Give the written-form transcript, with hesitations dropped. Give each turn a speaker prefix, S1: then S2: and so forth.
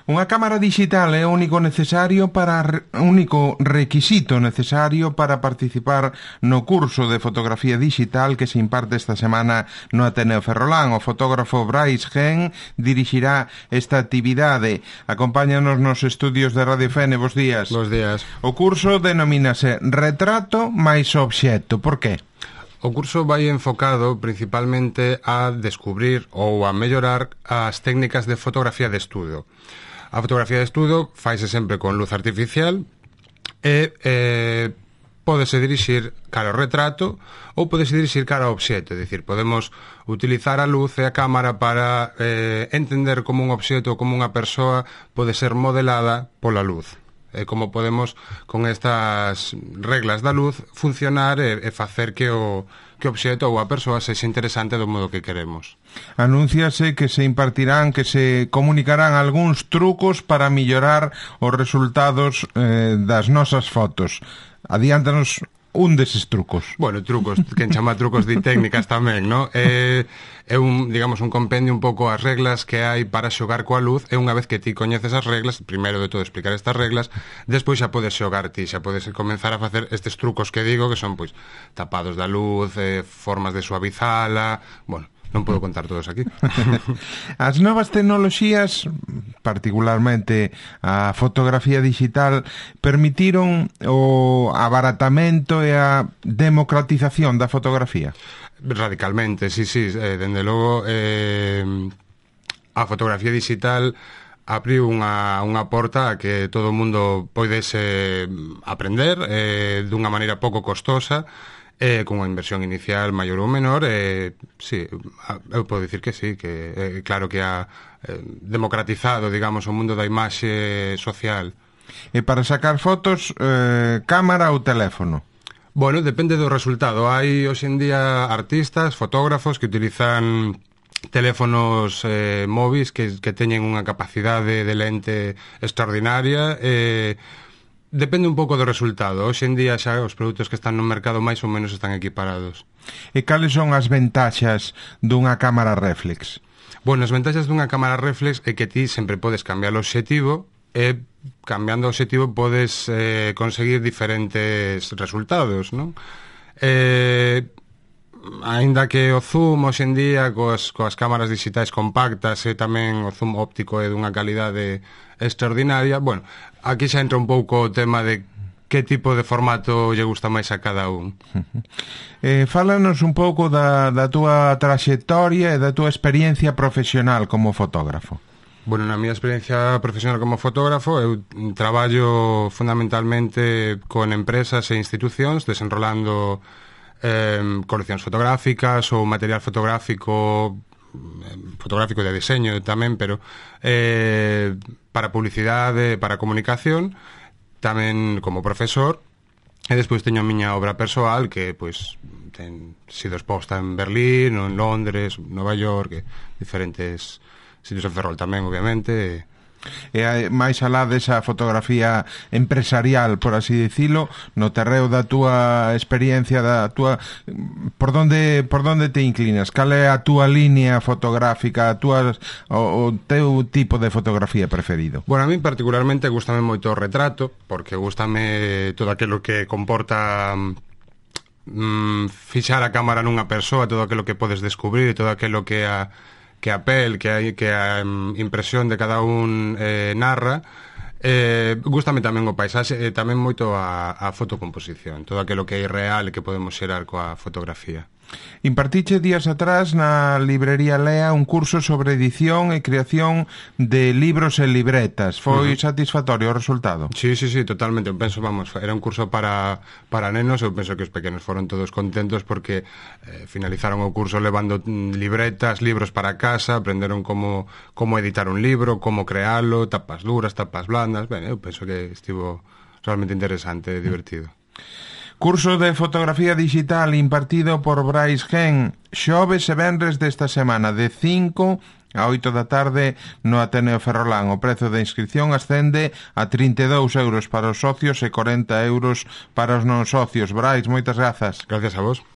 S1: Unha cámara digital é o único requisito necesario para participar no curso de fotografía digital que se imparte esta semana no Ateneo Ferrolán. O fotógrafo Brais Gen dirixirá esta actividade. Acompáñanos nos estudios de Radio Fene. Bos días.
S2: Bos días.
S1: O curso denomínase Retrato máis Obxecto. Por qué?
S2: O curso vai enfocado principalmente a descubrir ou a mellorar as técnicas de fotografía de estudo. A fotografía de estudo faise sempre con luz artificial e pódese dirixir cara ao retrato ou pódese dirixir cara ao obxecto. É dicir, podemos utilizar a luz e a cámara para entender como un obxecto ou como unha persoa pode ser modelada pola luz. Como podemos, con estas reglas da luz, funcionar e facer que o obxecto ou a persoa sexa interesante do modo que queremos.
S1: Anúnciase que se impartirán, que se comunicarán algúns trucos para mellorar os resultados das nosas fotos. Adiántanos un deses trucos.
S2: Bueno, trucos, quen chama trucos de técnicas tamén, non? É un, digamos, un compendio un pouco as reglas que hai para xogar coa luz, e unha vez que ti coñeces as reglas, primeiro de todo explicar estas reglas, despois xa podes xogar ti, xa podes comenzar a facer estes trucos que digo, que son, pois, tapados da luz, formas de suavizala, bueno, non podo contar todos aquí.
S1: As novas tecnoloxías, particularmente a fotografía digital, permitiron o abaratamento e a democratización da fotografía?
S2: Radicalmente, sí, dende logo a fotografía digital abriu unha porta a que todo o mundo poidese aprender dunha maneira pouco costosa, con unha inversión inicial maior ou menor. Sí, eu podo dicir que sí, que claro que ha democratizado, digamos, o mundo da imaxe social.
S1: E para sacar fotos, cámara ou teléfono?
S2: Bueno, depende do resultado. Hai hoxe en día artistas, fotógrafos que utilizan teléfonos móviles que teñen unha capacidade de lente extraordinaria. Depende un pouco do resultado. Hoxe en día xa os produtos que están no mercado máis ou menos están equiparados.
S1: E cales son as ventaxas dunha cámara reflex?
S2: Bueno, as ventaxas dunha cámara reflex é que ti sempre podes cambiar o obxectivo e cambiando o obxectivo podes conseguir diferentes resultados, non? Aínda que o zoom hoxe en día coas cámaras digitais compactas e tamén o zoom óptico é dunha calidade extraordinaria, bueno, aquí xa entra un pouco o tema de que tipo de formato lle gusta máis a cada un.
S1: Fálanos un pouco da túa traxectoria e da túa experiencia profesional como fotógrafo.
S2: Bueno, na miña experiencia profesional como fotógrafo, eu traballo fundamentalmente con empresas e institucións desenrolando coleccións fotográficas ou material fotográfico de diseño tamén, pero para publicidade, para comunicación, tamén como profesor, e despois teño a miña obra persoal que pois ten sido exposta en Berlín, ou en Londres, Nova York, diferentes sitios en Ferrol tamén, obviamente.
S1: E máis alá desa fotografía empresarial, por así dicilo, no terreo da túa experiencia, da túa por donde te inclinas? Cal é a túa línea fotográfica, o teu tipo de fotografía preferido?
S2: Bueno, a mí particularmente gustame moito o retrato, porque gustame todo aquilo que comporta fixar a cámara nunha persoa, todo aquilo que podes descubrir, todo aquilo que a pel, que a impresión de cada un narra. Gústame tamén o paisaxe e tamén moito a fotocomposición, todo aquilo que é real e que podemos xerar coa fotografía.
S1: Impartiche días atrás na librería Lea un curso sobre edición e creación de libros e libretas. Foi satisfactorio o resultado?
S2: Sí, totalmente. Eu penso, vamos, era un curso para nenos. Eu penso que os pequenos foron todos contentos porque finalizaron o curso levando libretas, libros para casa, aprenderon como editar un libro, como crealo, tapas duras, tapas blandas. Ben, eu penso que estivo realmente interesante e divertido.
S1: Curso de fotografía digital impartido por Brais Gen, xoves e venres desta semana, de 5 a 8 da tarde no Ateneo Ferrolán. O prezo de inscripción ascende a 32 euros para os socios e 40 euros para os non socios. Brais, moitas grazas.
S2: Gracias a vos.